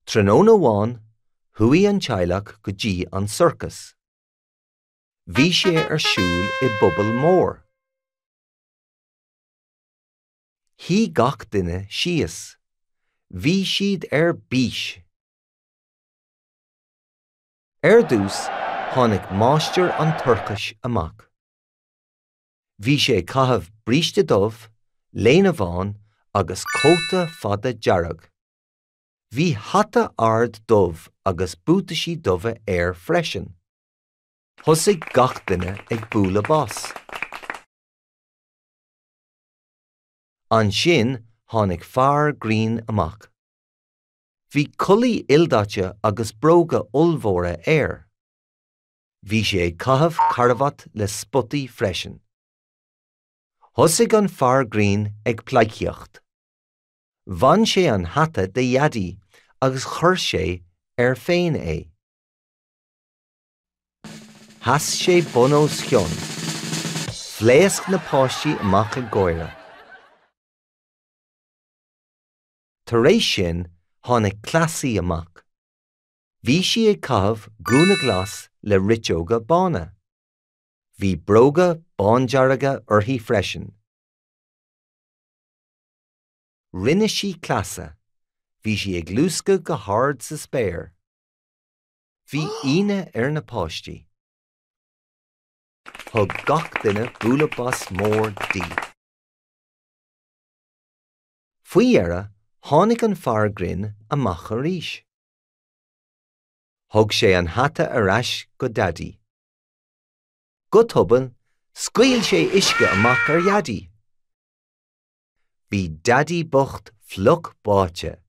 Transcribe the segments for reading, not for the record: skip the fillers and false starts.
Tráthnóna amháin, chuaigh an teaghlach go dtí an sorcas. Bhí sé ar siúl i bpuball mór. Shuigh gach duine síos. Bhí siad ar bís! Ar dtús, tháinig máistir an tsorcais amach. Bhí sé ag caitheamh bríste dubh, léine bhán agus cóta fada dearg. Bhí hata ard dubh agus buataisí dubha air freisin. Thosaigh gach duine ag bualadh bos. Ansin tháinig fear grinn amach. Bhí culaith ildaite agus bróga ollmhóra air. Bhí sé ag caitheamh carbhat le spotaí freisin. Thosaigh an fear grinn ag pleidhcíocht. Bhain sé an hata de Dhaidí agus chuir sé air féin é. Sheas sé bun os cionn. Phléasc na páistí amach ag gáire. Tar éis sin tháinig cleasaí amach. Bhí sí ag caitheamh gúna glas le riteoga bána. Bhí bróga bándearga uirthi freisin. Rinne sí cleasa. Bhí sí ag luascadh go hard sa spéir. Bhí ionadh ar na páistí. Thug gach duine bualadh bos mór di. Faoi dheireadh, tháinig an fear grinn amach arís. Thug sé an hata ar ais go Daidí. Go tobann, scaoil sé uisce amach ar Dhaidí. Bhí Daidí bocht fliuch báite.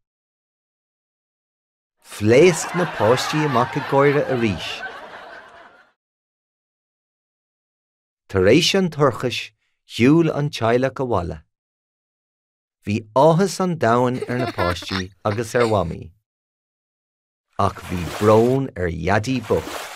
Phléasc na páistí amach ag gáire arís. Tar éis an tsorcais, shiúil an teaghlach abhaile. Bhí áthas an domhain ar na páistí agus ar Mhamaí. Ach bhí brón ar Dhaidí bocht.